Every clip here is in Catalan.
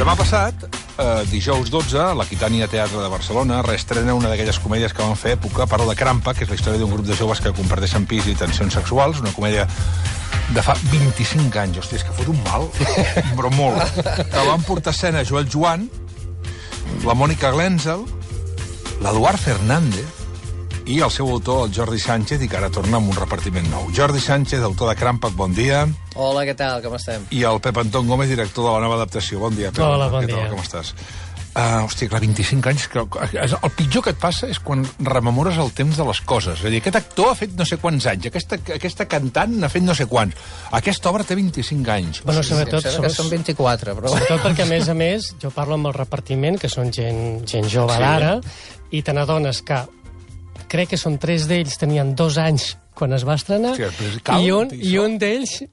Demà passat, dijous 12, l'Aquitània Teatre de Barcelona reestrena una d'aquelles comèdies que van fer època, parla de Crampa, que és la història d'un grup de joves que comparteixen pis i tensions sexuals, una comèdia de fa 25 anys. Hòstia, és que fot un mal, però molt. Que van portar a escena Joel Joan, la Mònica Glenzel, l'Eduard Fernández i el seu autor, el Jordi Sánchez, i que ara torna amb un repartiment nou. Jordi Sánchez, autor de Crampac, bon dia. Hola, què tal? Com estem? I el Pep Anton Gómez, director de la nova adaptació. Bon dia, Pep. Hola, bon dia. dia. Com estàs? Hòstia, clar, 25 anys... El pitjor que et passa és quan rememores el temps de les coses. És a dir, aquest actor ha fet no sé quants anys, aquesta cantant n'ha fet no sé quants. Aquesta obra té 25 anys. Bueno, sobretot... Que són 24, però... Sobretot perquè, a més, jo parlo amb el repartiment, que són gent jove d'ara, i te n'adones que crec que són 3 d'ells, tenien 2 anys quan es va estrenar, i un d'ells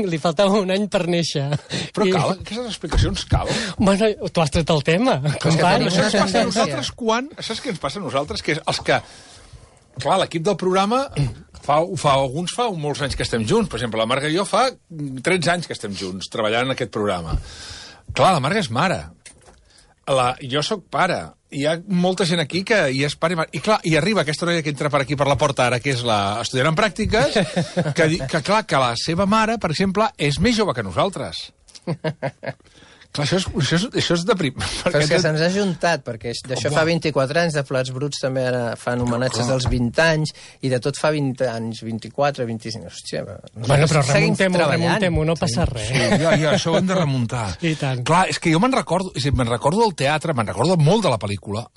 li faltava un any per néixer. Però cal, aquestes explicacions cal. Bueno, tu has tret el tema, company. Això ens passa a nosaltres quan... Saps què ens passa a nosaltres? Que és els que... Clar, l'equip del programa... Alguns fa molts anys que estem junts. Per exemple, la Marga i jo fa 13 anys que estem junts, treballant en aquest programa. Clar, la Marga és mare. Jo sóc pare. Hi ha molta gent aquí que hi és pare i mare. I clar, i arriba aquesta noia que entra per aquí per la porta ara, que és l'estudiant en pràctiques, que la seva mare, per exemple, és més jove que nosaltres. Clar, això és deprim. Però és que se'ns ha juntat, perquè d'això fa 24 anys, de Plats Bruts també ara fan homenatges dels 20 anys, i de tot fa 20 anys, 24, 25... Hòstia, bueno, però remuntem-ho, no passa res. Sí, ja, això ho hem de remuntar. I tant. Clar, és que jo me'n recordo del teatre, me'n recordo molt de la pel·lícula,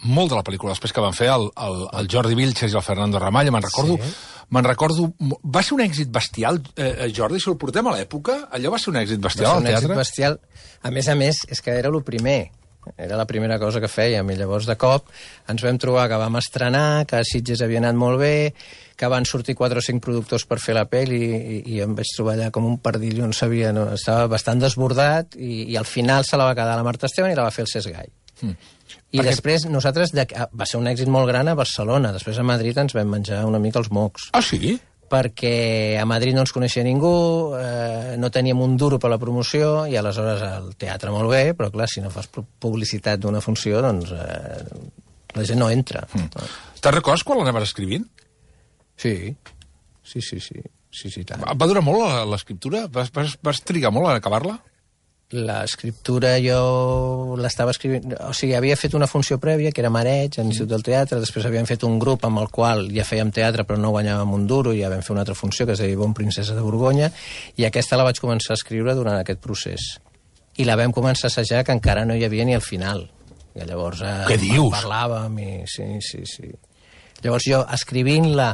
després que van fer el Jordi Vilches i el Fernando Ramallo, me'n recordo... Va ser un èxit bestial, Jordi, si el portem a l'època, allò va ser un èxit bestial al teatre? Va ser un èxit bestial. A més, és que era el primer. Era la primera cosa que fèiem, i llavors de cop ens vam trobar que vam estrenar, que a Sitges havia anat molt bé, que van sortir 4 o 5 productors per fer la pel·li, i em vaig trobar allà com un pardillo, no sabia, no? Estava bastant desbordat, i al final se la va quedar la Marta Esteban i la va fer el Cesc Gai. I després nosaltres, va ser un èxit molt gran a Barcelona, després a Madrid ens vam menjar una mica els mocs. Ah, sí? Perquè a Madrid no ens coneixia ningú, no teníem un duro per la promoció, i aleshores el teatre molt bé, però clar, si no fas publicitat d'una funció, doncs la gent no entra. Te'n recordes quan l'anaves escrivint? Sí, tant. Va durar molt l'escriptura? Vas trigar molt a acabar-la? L'escriptura jo l'estava escrivint... O sigui, havia fet una funció prèvia, que era Mareig, a l'Institut del Teatre, després havíem fet un grup amb el qual ja fèiem teatre però no guanyàvem un duro, i ja vam fer una altra funció que es deia Bon Princesa de Borgonya, i aquesta la vaig començar a escriure durant aquest procés. I la vam començar a assajar, que encara no hi havia ni el final. I llavors... Què dius? Parlàvem i... Sí. Llavors jo, escrivint-la,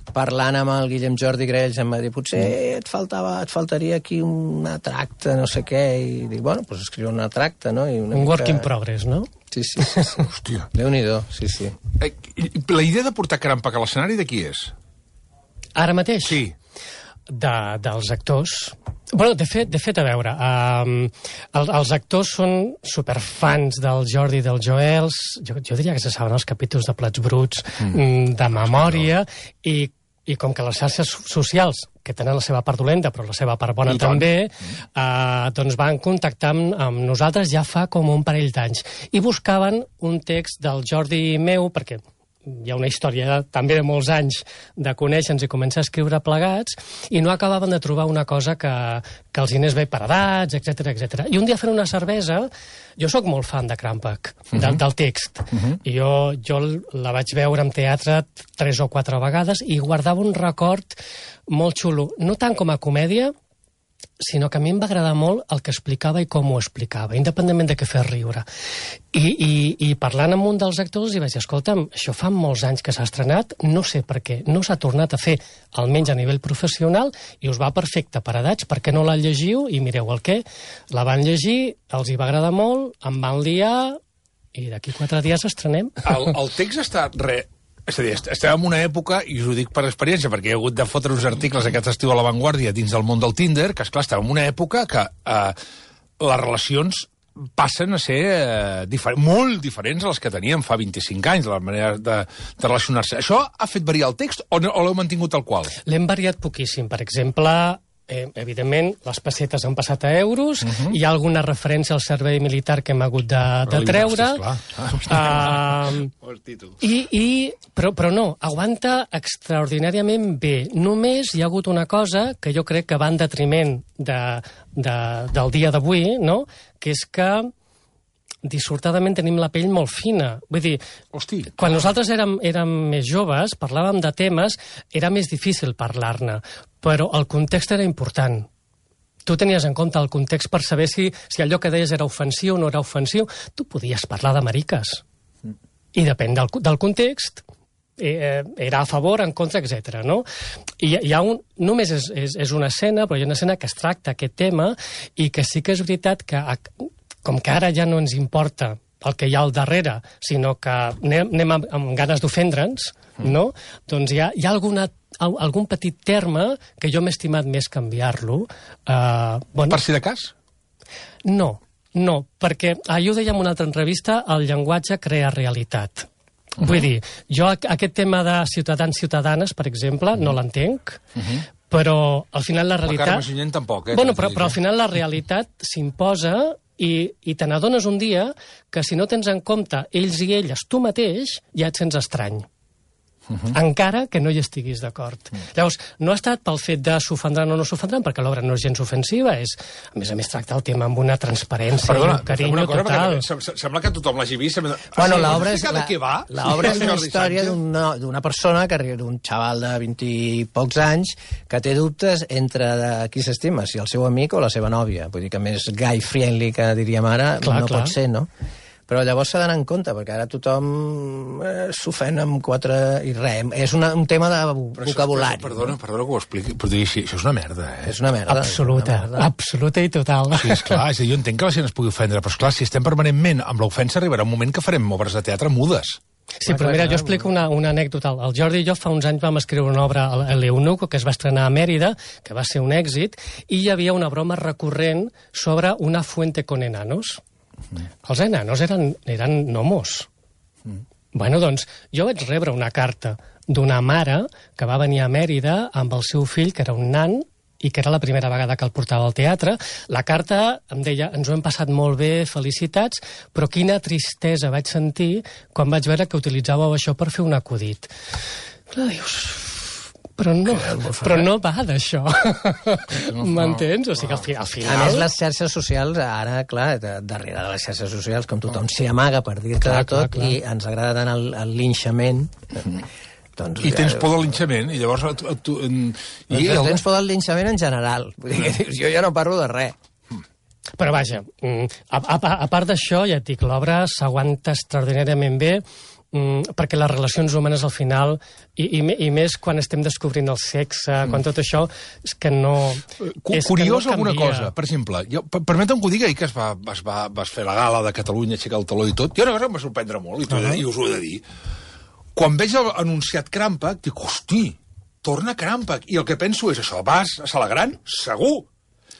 parlant amb el Guillem Jordi Grells, em va dir, potser et faltaria aquí un tracte, no sé què, i dic, bueno, doncs escriure un tracte, no? I un work in progress, no? Sí. Hòstia. Déu-n'hi-do, sí. La idea de portar Crampac a l'escenari de qui és? Ara mateix? Sí. Dels actors. Bueno, de fet, a veure, els actors són superfans del Jordi i del Joel, jo diria que se saben els capítols de Plats Bruts de memòria, i com que les xarxes socials, que tenen la seva part dolenta, però la seva part bona també, doncs van contactar amb nosaltres ja fa com un parell d'anys, i buscaven un text del Jordi meu, perquè hi ha una història també de molts anys de conèixer-nos i començar a escriure plegats, i no acabaven de trobar una cosa que els anés bé per edats, etc. I un dia fent una cervesa, jo sóc molt fan de Crampac, del text, i jo la vaig veure en teatre 3 o 4 vegades i guardava un record molt xulo, no tant com a comèdia, sinó que a mi em va agradar molt el que explicava i com ho explicava, independentment de què fes riure. I parlant amb un dels actors, i vaig dir, escolta'm, això fa molts anys que s'ha estrenat, no sé per què, no s'ha tornat a fer, almenys a nivell professional, i us va perfecte per edats, per què no la llegiu? I mireu el què, la van llegir, els hi va agradar molt, em van liar, i d'aquí 4 dies estrenem. El text està És a dir, estem en una època, i us ho dic per experiència, perquè he hagut de fotre uns articles aquest estiu a La Vanguardia dins del món del Tinder, que, esclar, estem en una època que les relacions passen a ser molt diferents a les que teníem fa 25 anys, la manera de relacionar-se. Això ha fet variar el text o l'heu mantingut tal qual? L'hem variat poquíssim. Per exemple, evidentment, les pessetes han passat a euros, hi ha alguna referència al servei militar que hem hagut de treure, però no, aguanta extraordinàriament bé. Només hi ha hagut una cosa que jo crec que va en detriment del dia d'avui, no? Que és que dissortadament tenim la pell molt fina. Vull dir, quan nosaltres érem més joves, parlàvem de temes, era més difícil parlar-ne, però el context era important. Tu tenies en compte el context per saber si allò que deies era ofensiu o no era ofensiu. Tu podies parlar de mariques. I depèn del context, era a favor, en contra, etc. No? Només és una escena, però hi ha una escena que es tracta aquest tema i que sí que és veritat que com que ara ja no ens importa el que hi ha al darrere, sinó que anem amb ganes d'ofendre'ns, no? Doncs hi ha algun petit terme que jo m'he estimat més canviar-lo. Per si de cas? No, perquè jo ho deia en una altra entrevista, el llenguatge crea realitat. Vull dir, jo aquest tema de ciutadans-ciutadanes, per exemple, no l'entenc, però al final la realitat... La Carme Junyent tampoc, Bueno, però al final la realitat s'imposa i te n'adones un dia que si no tens en compte ells i elles tu mateix, ja et sents estrany. Encara que no hi estiguis d'acord. Llavors, no ha estat pel fet de s'ofendran o no s'ofendran, perquè l'obra no és gens ofensiva, a més tracta el tema amb una transparència i un carinyo total. Sembla que tothom l'hagi vist. Bueno, l'obra és una història d'una persona, d'un xaval de 20 i pocs anys, que té dubtes entre qui s'estima, si el seu amic o la seva nòvia. Vull dir que més guy-friendly que diríem ara no pot ser, no? Però llavors s'ha d'anar en compte, perquè ara tothom s'ofèn amb quatre i res. És un tema de vocabulari. Perdona que ho expliqui, però això és una merda, És una merda. Absoluta i total. Sí, esclar, jo entenc que la gent es pugui ofendre, però esclar, si estem permanentment amb l'ofensa arribarà un moment que farem obres de teatre mudes. Sí, però mira, jo explico una anècdota. El Jordi i jo fa uns anys vam escriure una obra a l'Eunuco que es va estrenar a Mèrida, que va ser un èxit, i hi havia una broma recurrent sobre una fuente con enanos. Els enanos eren gnomos. Bueno, doncs, jo vaig rebre una carta d'una mare que va venir a Mèrida amb el seu fill, que era un nan, i que era la primera vegada que el portava al teatre. La carta em deia, ens ho hem passat molt bé, felicitats, però quina tristesa vaig sentir quan vaig veure que utilitzàveu això per fer un acudit. Clar, dius... Però no va d'això. M'entens? O sigui, al final... A més, les xarxes socials, ara, clar, darrere de les xarxes socials, com tothom s'hi amaga per dir-te de tot, i ens agrada tant el linxament... I tens por del linxament, i llavors... Tens por del linxament en general. Vull dir que jo ja no parlo de res. Però vaja, a part d'això, ja et dic, l'obra s'aguanta extraordinàriament bé, perquè les relacions humanes al final, i més quan estem descobrint el sexe, quan tot això, és que no... Curiós alguna cosa, per exemple, permetem que ho digui, que vas fer la gala de Catalunya, aixecar el taló i tot, hi ha una cosa que em va sorprendre molt, i us ho he de dir. Quan veig anunciat Crampec, dic, hosti, torna Crampec, i el que penso és això, vas a Sala Gran? Segur!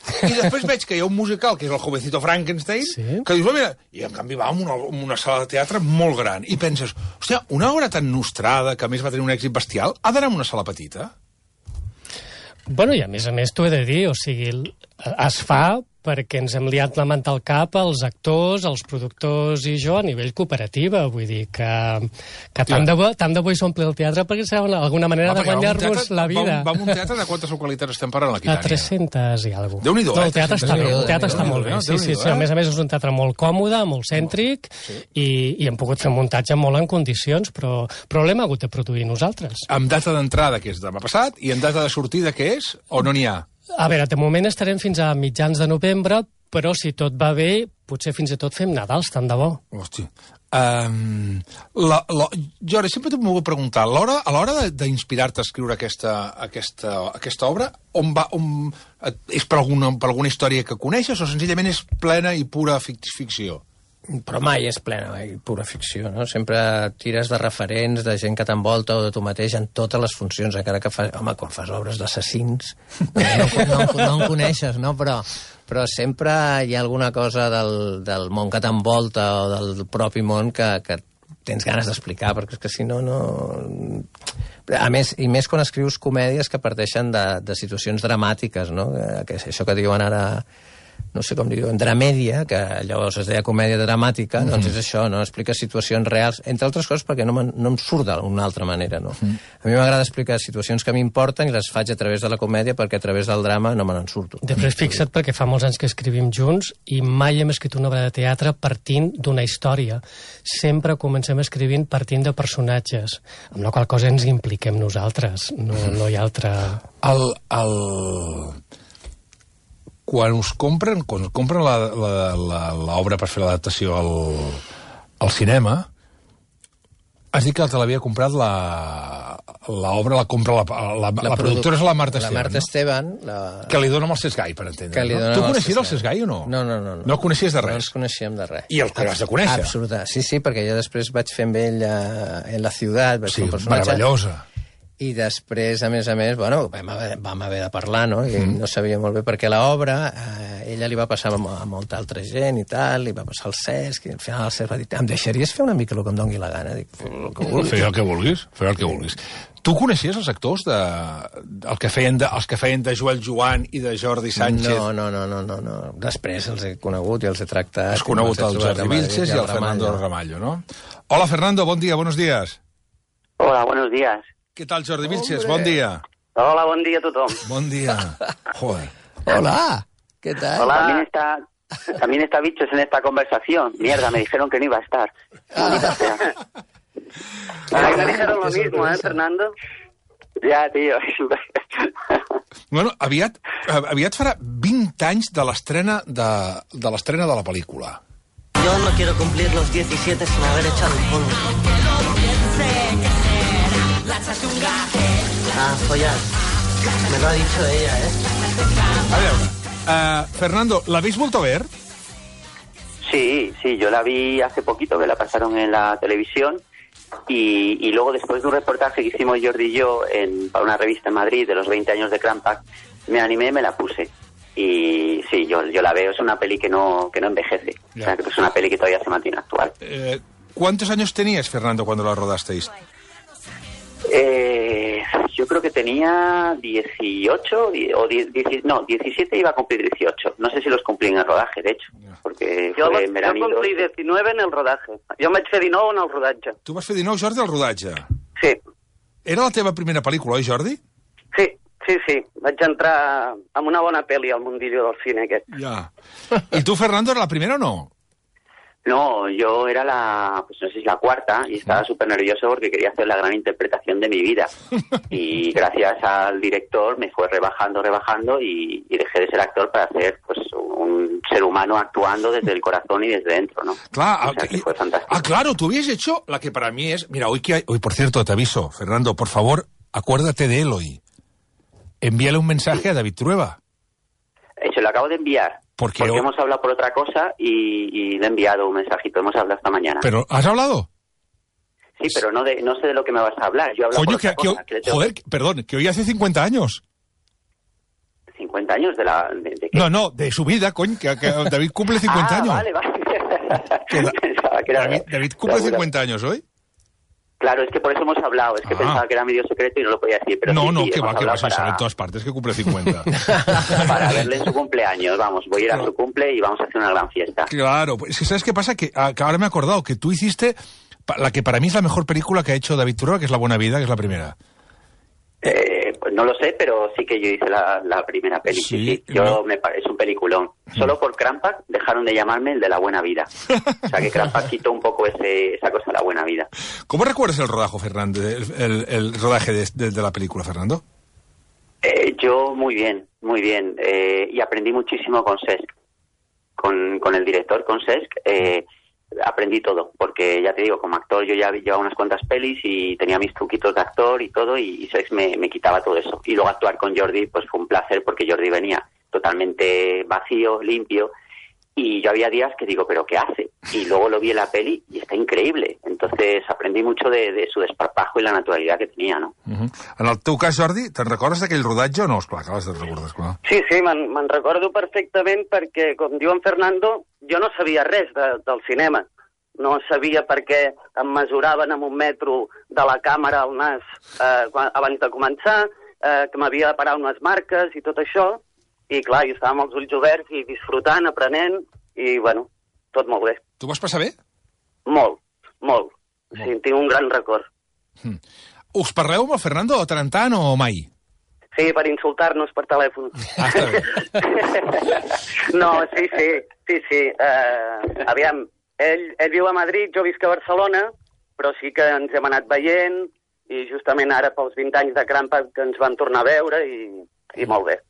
I després veig que hi ha un musical, que és el Jovencito Frankenstein, que dius, mira, i en canvi va a una sala de teatre molt gran, i penses, hòstia, una obra tan nostrada, que a més va tenir un èxit bestial, ha d'anar a una sala petita? Bueno, i a més, t'ho he de dir, o sigui, es fa perquè ens hem liat la manta al cap els actors, els productors i jo a nivell cooperativa. Vull dir que tant de bo hi s'ompli el teatre perquè serà alguna manera de guanyar-nos la vida. Va a un teatre de quantes localitats estem parlant aquí? A 300 i alguna cosa. Déu-n'hi-do, el teatre està bé, el teatre està molt bé. Sí, a més és un teatre molt còmode, molt cèntric, i hem pogut fer un muntatge molt en condicions, però l'hem hagut de produir nosaltres. Amb data d'entrada, que és demà passat, i amb data de sortida, que és, o no n'hi ha? A veure, de moment estarem fins a mitjans de novembre, però si tot va bé, potser fins i tot fem Nadals, tant de bo. Hosti. Jordi, sempre t'ho vull preguntar, a l'hora d'inspirar-te a escriure aquesta obra, és per alguna història que coneixes o senzillament és plena i pura ficció? Però mai és plena i pura ficció, no? Sempre tires de referents, de gent que t'envolta o de tu mateix en totes les funcions, encara que fas... Home, quan fas obres d'assassins, no en coneixes, no? Però sempre hi ha alguna cosa del món que t'envolta o del propi món que tens ganes d'explicar, perquè és que si no, no... A més, i més quan escrius comèdies que parteixen de situacions dramàtiques, no? Que és això que diuen ara, no sé com diuen, dramèdia, que llavors es deia comèdia dramàtica, doncs és això, no? Explica situacions reals, entre altres coses perquè no em surt d'una altra manera, no? A mi m'agrada explicar situacions que m'importen i les faig a través de la comèdia perquè a través del drama no me n'en surto. Després fixa't, perquè fa molts anys que escrivim junts i mai hem escrit una obra de teatre partint d'una història. Sempre comencem escrivint partint de personatges, amb la qual cosa ens impliquem nosaltres, no hi ha altra... Quan us compren l'obra per fer l'adaptació al cinema, has dit que te l'havia comprat l'obra, la productora és la Marta Esteban, La Marta Esteban... Que li dona amb el Cesc Gai, per entendre. Tu coneixies el Cesc Gai o no? No. No el coneixies de res? No ens coneixíem de res. I el que has de conèixer? Absolutament. Sí, perquè jo després vaig fer amb ell en la ciutat, vaig fer un personatge... Meravellosa. I després, a més, bueno, vam haver de parlar, no? I no sabia molt bé, perquè l'obra, ella li va passar a molta altra gent i tal, li va passar al Cesc, i al final el Cesc va dir, em deixaries fer una mica el que em doni la gana? Dic, Fer el que vulguis. Tu coneixies els actors els que feien de Joel Joan i de Jordi Sánchez? No. Després els he conegut i els he tractat. Has conegut el Jordi Vilches i el Fernando Ramallo, ¿no? Hola, Fernando, bon dia, buenos días. Hola, buenos días. ¿Qué tal, Jordi Vilches? Bon dia. Hola, bon dia a tothom. Bon dia. Joder. Hola, ¿qué tal? Hola. También está Bichos en esta conversación. Mierda, me dijeron que no iba a estar. Maldita sea. Ay, me dijeron lo mismo, Fernando? Ja, tío. Bueno, aviat farà 20 anys de l'estrena de la pel·lícula. Yo no quiero cumplir los 17 sin haber echado un polvo. Follar. Me lo ha dicho ella, A veure, Fernando, ¿l'habéis vuelto a ver? Sí, yo la vi hace poquito, que la pasaron en la televisión, y luego después de un reportaje que hicimos Jordi y yo para una revista en Madrid de los 20 años de Crampac, me animé y me la puse. Y sí, yo la veo, es una peli que no envejece. O sea, que es una peli que todavía se mantiene actual. ¿Cuántos años tenías, Fernando, cuando la rodasteis? Yo creo que tenía 18 no, 17 iba a cumplir 18. No sé si los cumplí en el rodaje, de hecho, porque fue en verano. Jo complí 19 en el rodatge. Jo vaig fer 19 en el rodatge. Tu vas fer 19, Jordi, al rodatge? Sí. Era la teva primera pel·lícula, oi, Jordi? Sí. Vaig entrar amb una bona pel·li al mundillo del cine aquest. Ja. I tu, Fernando, era la primera o no? No, yo era pues no sé si la cuarta, y estaba súper nervioso porque quería hacer la gran interpretación de mi vida. Y gracias al director me fue rebajando y dejé de ser actor para ser pues un ser humano actuando desde el corazón y desde dentro, ¿no? Claro, o sea, que fue fantástico. Claro, tú habías hecho la que para mí es... Mira, hoy, por cierto, te aviso, Fernando, por favor, acuérdate de él hoy. Envíale un mensaje a David Trueba. Se lo acabo de enviar. Porque hemos hablado por otra cosa y le he enviado un mensajito. Hemos hablado esta mañana. ¿Pero has hablado? Sí, pero no sé de lo que me vas a hablar. Yo hablo Coño, por otra cosa, joder, perdón, que hoy hace 50 años. 50 años de qué? No, de su vida, coño, que David cumple 50 años. Vale. Pensaba que era, David cumple 50 años hoy. Claro, es que por eso hemos hablado. Es que pensaba que era medio secreto y no lo podía decir. Pero no, sí, que va, se sabe en todas partes que cumple 50. Para verle en su cumpleaños, vamos. Voy a ir a su cumple y vamos a hacer una gran fiesta. Claro, es que ¿sabes qué pasa? Que ahora me he acordado que tú hiciste la que para mí es la mejor película que ha hecho David Trueba, que es La Buena Vida, que es la primera. Pues no lo sé, pero sí que yo hice la primera peli. Sí. Es un peliculón. Solo por Crampac dejaron de llamarme el de La Buena Vida. O sea que Crampac quitó un poco esa cosa de La Buena Vida. ¿Cómo recuerdas el rodaje, Fernando? El rodaje de la película, Fernando? Yo muy bien. Y aprendí muchísimo con Cesc. Con el director, con Cesc. Aprendí todo, porque ya te digo, como actor yo ya llevaba unas cuantas pelis y tenía mis truquitos de actor y todo, y Cesc me quitaba todo eso. Y luego actuar con Jordi pues fue un placer, porque Jordi venía totalmente vacío, limpio, y yo había días que digo, ¿pero qué hace? Y luego lo vi en la peli y está increíble. Entonces aprendí mucho de su desparpajo y la naturalidad que tenía, no? En el teu cas, Jordi, te'n recordes d'aquell rodatge o no? Esclar, que les recordes, clar. Sí, me'n recordo perfectament perquè, com diu en Fernando, jo no sabia res del cinema. no sabia per què em mesuraven amb un metro de la càmera al nas abans de començar, que m'havia de parar unes marques i tot això, i clar, jo estava amb els ulls oberts i disfrutant, aprenent, i bueno, tot molt bé. Tu vas passar bé? Molt, molt. Sí, tinc un gran record. Us parleu amb el Fernando tant en tant o mai? Sí, per insultar-nos per telèfon. Ah, està bé. No, sí. Aviam, ell viu a Madrid, jo visc a Barcelona, però sí que ens hem anat veient, i justament ara pels 20 anys de Crampa que ens vam tornar a veure, i molt bé.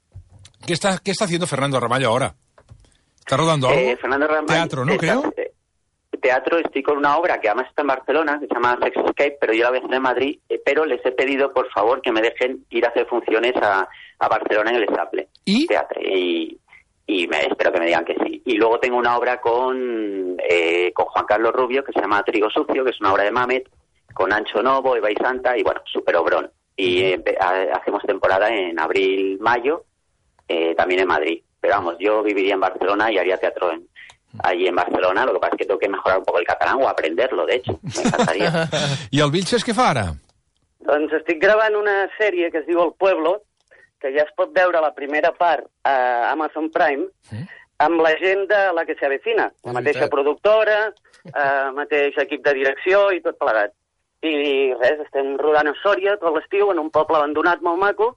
¿Qué está haciendo Fernando Ramallo ahora? ¿Está rodando algo? Fernando Ramallo, teatro, ¿no? Creo. Teatro, estoy con una obra que además está en Barcelona, que se llama Sex Escape, pero yo la voy a hacer en Madrid, pero les he pedido, por favor, que me dejen ir a hacer funciones a Barcelona en el Estable. ¿Y? Teatro. Y espero que me digan que sí. Y luego tengo una obra con Juan Carlos Rubio, que se llama Trigo Sucio, que es una obra de Mamet, con Ancho Novo, Eva y Santa, y bueno, súper obrón. Y hacemos temporada en abril, mayo, también en Madrid. Pero vamos, yo viviría en Barcelona y haría teatro allí en Barcelona. Lo que pasa es que tengo que mejorar un poco el catalán o aprenderlo, de hecho. Me encantaría. I el Vilches què fa ara? Doncs estic gravant una sèrie que es diu El Pueblo, que ja es pot veure la primera part a Amazon Prime, amb la gent de La que se avecina, la mateixa productora, mateix equip de direcció i tot plegat. I res, estem rodant a Sòria tot l'estiu, en un poble abandonat molt maco,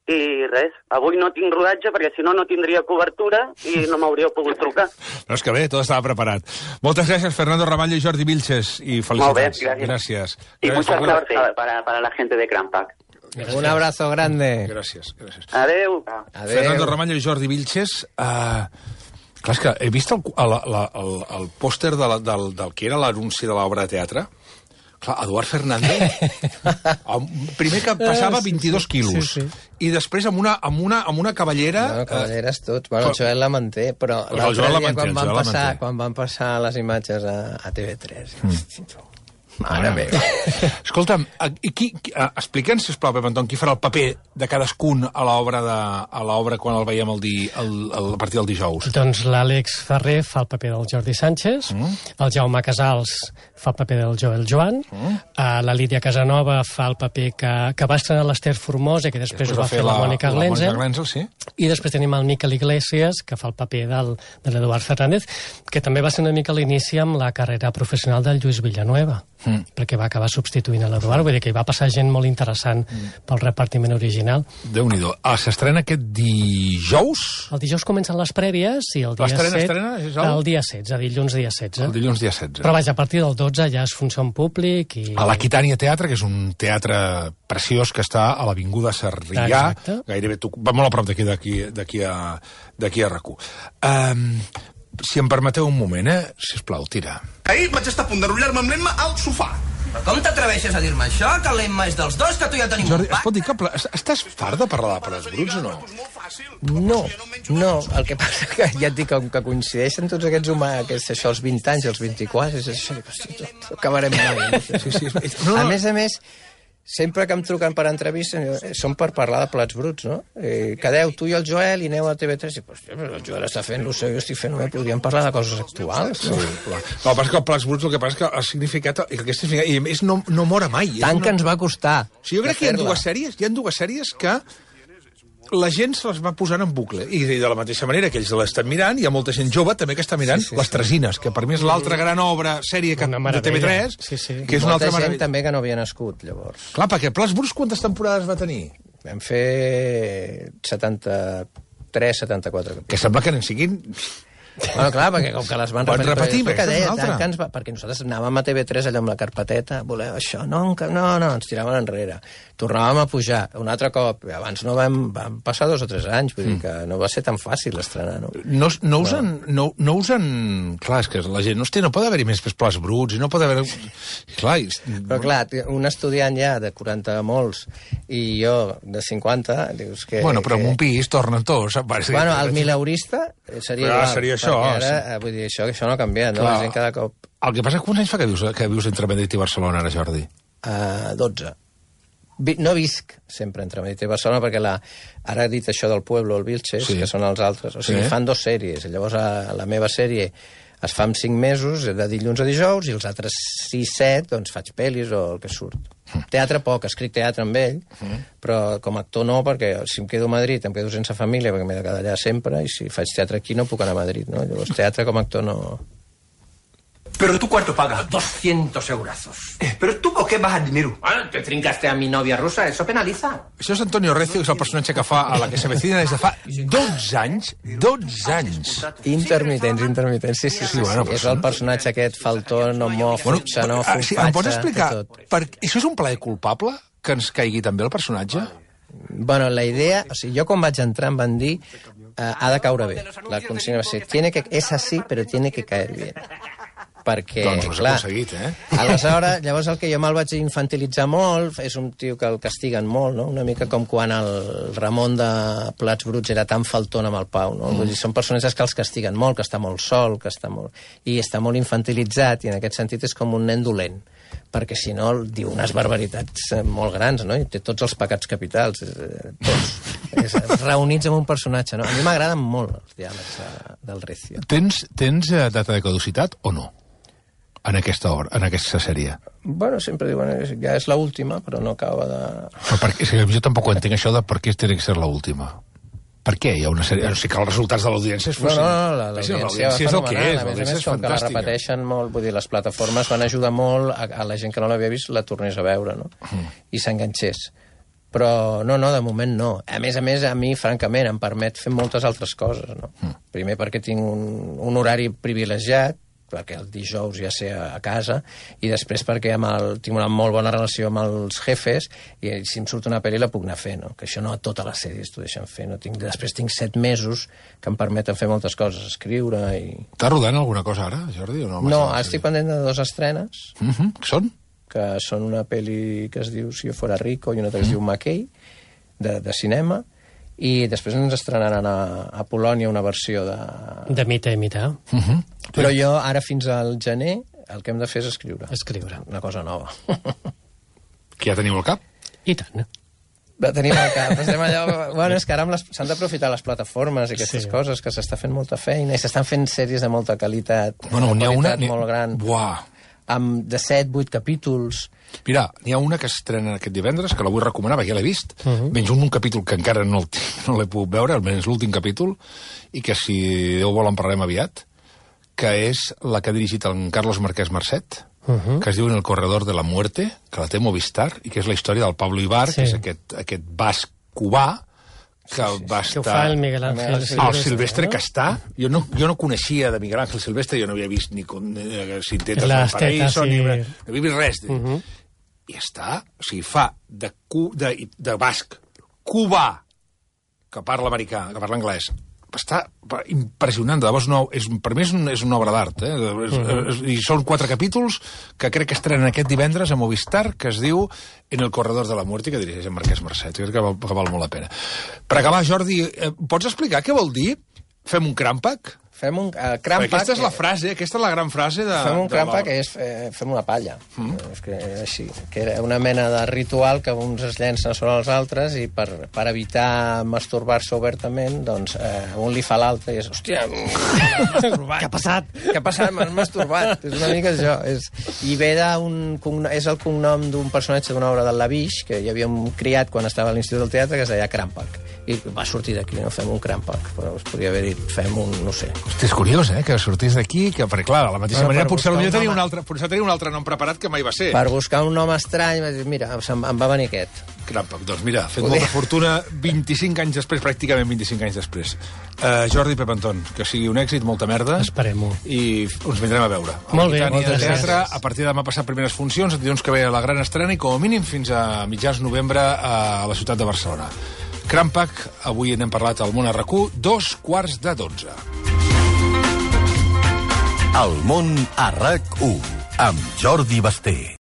i res, avui no tinc rodatge perquè si no no tindria cobertura i no m'hauríeu pogut trucar. No, és que bé, tot estava preparat. Moltes gràcies, Fernando Ramallo i Jordi Vilches, i felicitats. Molt bé, gràcies. Y mucha suerte para la gente de Crampac. Un abrazo grande. Gràcies. Adeu. Fernando Ramallo i Jordi Vilches. Clar, és que he vist el pòster del que era l'anunci de l'obra de teatre. Clar, Eduard Fernández, primer que passava 22 quilos, i després amb una cavallera... No, cavalleres tots. Bueno, el Joel la manté, però l'altre dia quan van passar les imatges a TV3... Mare meva. Escolta'm, explica'ns, sisplau, Pep Anton, qui farà el paper de cadascun a l'obra quan el veiem a partir del dijous? Doncs l'Àlex Ferrer fa el paper del Jordi Sánchez, el Jaume Casals fa el paper del Joel Joan, la Lídia Casanova fa el paper que va estrenar l'Ester Formosa, que després ho va fer la Mònica Glenzel, sí. I després tenim el Miquel Iglesias, que fa el paper de l'Eduard Fernández, que també va ser una mica l'inici amb la carrera professional del Lluís Villanueva, perquè va acabar substituint a l'Eduard, vull dir que hi va passar gent molt interessant pel repartiment original. Déu-n'hi-do. S'estrena aquest dijous? El dijous comencen les prèvies i el dia 7... El dia 16, dilluns dia 16. El dilluns dia 16. Però vaja, a partir del 12 ja es funció en públic i... A l'Aquitània Teatre, que és un teatre preciós que està a l'Avinguda Sarrià, gairebé va molt a prop d'aquí a RAC1. Si em permeteu un moment, sisplau, tira. Ahir vaig estar a punt d'enrotllar-me amb l'Emma al sofà. Però com t'atreveixes a dir-me això? Que l'Emma és dels dos, que tu ja tenim Jordi, un es pot dir que estàs fart de parlar de plats bruts o no? No, el que passa que ja et dic que coincideixen tots aquests humans, això, els 20 anys, els 24, és això, acabarem mai. A més, sempre que em truquen per entrevistes, són per parlar de plats bruts, no? Quedeu tu i el Joel i aneu a TV3 i el Joel està fent el seu, jo estic fent, podríem parlar de coses actuals. No, el que passa que el plats bruts, el que passa que el significat, i a més no mora mai. Tant que ens va costar. Jo crec que hi ha dues sèries que la gent se les va posant en bucle. I de la mateixa manera que ells l'estan mirant, hi ha molta gent jove també que està mirant Les Tresines, que per mi és l'altra gran obra, sèrie de TV3, que és una altra meravella. Molta gent també que no havia nascut, llavors. Clar, perquè Plats Bruts quantes temporades va tenir? Vam fer 73, 74. Que sembla que n'en siguin... Bueno, clar, perquè com que les van repetir... Perquè nosaltres anàvem a TV3 allò amb la carpeteta, voleu això? No, ens tiraven enrere. Tornàvem a pujar un altre cop. Abans no van passar 2 o 3 anys, vull dir que no va ser tan fàcil estrenar, no? No usen... Clar, és que la gent no pot haver-hi més plats bruts i no pot haver... Clar, però clar, un estudiant ja de 40 molts i jo de 50, dius que... Bueno, però en un pis tornen tots. Bueno, el mileurista seria igual. Seria això. Ara, vull dir, això no ha canviat, no? La gent cada cop... El que passa, quants anys fa que vius entre Madrid i Barcelona, ara, Jordi? 12. No visc sempre entre Madrid i Barcelona perquè ara he dit això del Pueblo, el Vilches, que són els altres. O sigui, fan 2 sèries. Llavors, la meva sèrie Es fa en 5 mesos, de dilluns a dijous, i els altres 6-7 doncs faig pel·lis o el que surt. Teatre poc, escric teatre amb ell, però com a actor no, perquè si em quedo a Madrid em quedo sense família perquè m'he de quedar allà sempre, i si faig teatre aquí no puc anar a Madrid, no? Llavors teatre com a actor no... ¿Pero tú cuánto pagas? 200 eurazos. ¿Pero tú por qué bajas dinero? ¿Te trincaste a mi novia rusa? Eso penaliza. Això és Antonio Recio, que és el personatge que fa a La que se avecina des de fa 12 anys. 12 anys. Intermitents, sí. Bueno, és el personatge aquest faltón, homòfob, xenòfob, sí, em pots explicar, això és un plaer culpable que ens caigui també el personatge? Bueno, la idea... O sigui, jo quan vaig entrar em van dir ha de caure bé. La consigna va ser, és así, però tiene que caer bien. Perquè, doncs ho has clar, aconseguit, aleshores, llavors el que jo me'l vaig infantilitzar molt, és un tio que el castiguen molt, no? Una mica com quan el Ramon de Plats Bruts era tan faltón amb el Pau, no? Vull dir, són personatges que els castiguen molt, que està molt sol, que està molt... I està molt infantilitzat, i en aquest sentit és com un nen dolent, perquè si no diu unes barbaritats molt grans, no? I té tots els pecats capitals, tots, reunits en un personatge, no? A mi m'agraden molt els diàlegs del Recio. Tens data de caducitat o no? En aquesta obra, en aquesta sèrie. Bueno, sempre diuen ja és l'última, però no acaba de... Però jo tampoc entenc això de per què té que ser l'última. Per què hi ha una sèrie? O sigui que els resultats de l'audiència és fossin... No, l'audiència és el que és, a més, com que la repeteixen molt, vull dir, les plataformes van ajudar molt a la gent que no l'havia vist la tornés a veure, no? I s'enganxés. Però no, de moment no. A més, a mi, francament, em permet fer moltes altres coses, no? Primer perquè tinc un horari privilegiat, perquè el dijous ja sé a casa, i després perquè tinc una molt bona relació amb els jefes, i si em surt una pel·li la puc anar a fer, no? Que això no a totes les sèries t'ho deixen fer. No? Després tinc 7 mesos que em permeten fer moltes coses, escriure i... Estàs rodant alguna cosa ara, Jordi? O no, no, estic pendent de 2 estrenes. Són? Que són una pel·li que es diu Si jo fuera rico i una que es diu McKay, de cinema, i després ens estrenaran a Polònia una versió de Mita i Mita. Però jo, ara fins al gener, el que hem de fer és escriure. Una cosa nova. Que ja teniu al cap? I tant. La tenim al cap. Estem allà... Bueno, és que ara s'han d'aprofitar les plataformes i aquestes coses, que s'està fent molta feina, i s'estan fent sèries de molta qualitat. Bueno, n'hi ha una... molt gran. Buah! Amb de 7-8 capítols. Mira, n'hi ha una que s'estrena aquest divendres, que la vull recomanar, perquè ja l'he vist. Menys un capítol que encara no l'he pogut veure, almenys l'últim capítol, i que si Déu vol en parlarem aviat, que és la que ha dirigit en Carlos Marquès Marcet, que es diu En el corredor de la muerte, que la té Movistar, i que és la història del Pablo Ibar, que és aquest basc cubà, que va estar... Que ho fa el Miguel Ángel Silvestre. El Silvestre, que està... Jo no coneixia de Miguel Ángel Silvestre, jo no havia vist ni Sintetas del Paraíso, ni no havia vist res. I està... O sigui, fa de basc cubà, que parla americà, que parla anglès, està impressionant, de debò, per mi és una obra d'art, i són 4 capítols que crec que estrenen aquest divendres a Movistar, que es diu En el corredor de la muerte, que dirigeix en Marquès Marcet, crec que val molt la pena. Per acabar, Jordi, pots explicar què vol dir Fem un crampac? Fem un crampac... Aquesta és la frase, aquesta és la gran frase de... Fem un crampac és fem una palla. És que és així, que era una mena de ritual que uns es llencen sobre els altres i per evitar masturbar-se obertament, doncs un li fa l'altre i és, hòstia, Què ha passat? Què ha passat? M'has masturbat. És una mica això. I ve és el cognom d'un personatge d'una obra del Lavish, que hi havia un criat quan estava a l'Institut del Teatre que es deia Crampac. I va sortir d'aquí, no? Fem un Crampac. Però us podria haver dit, fem un, no sé... Hosti, és curiós, que sortís d'aquí, perquè, clar, de la mateixa manera, potser tenia un altre nom preparat que mai va ser. Per buscar un nom estrany, vaig dir, mira, em va venir aquest. Crampac, doncs mira, ha fet molta fortuna 25 anys després, pràcticament 25 anys després. Jordi Pep Anton, que sigui un èxit, molta merda. Esperem-ho. I ens vindrem a veure. Molt bé, moltes gràcies. A partir de demà passat primeres funcions, dilluns que ve la gran estrena i com a mínim fins a mitjans novembre a la ciutat de Barcelona. Crampac, avui n'hem parlat al Món a RAC1, 2:15. El Món a RAC1, amb Jordi Basté.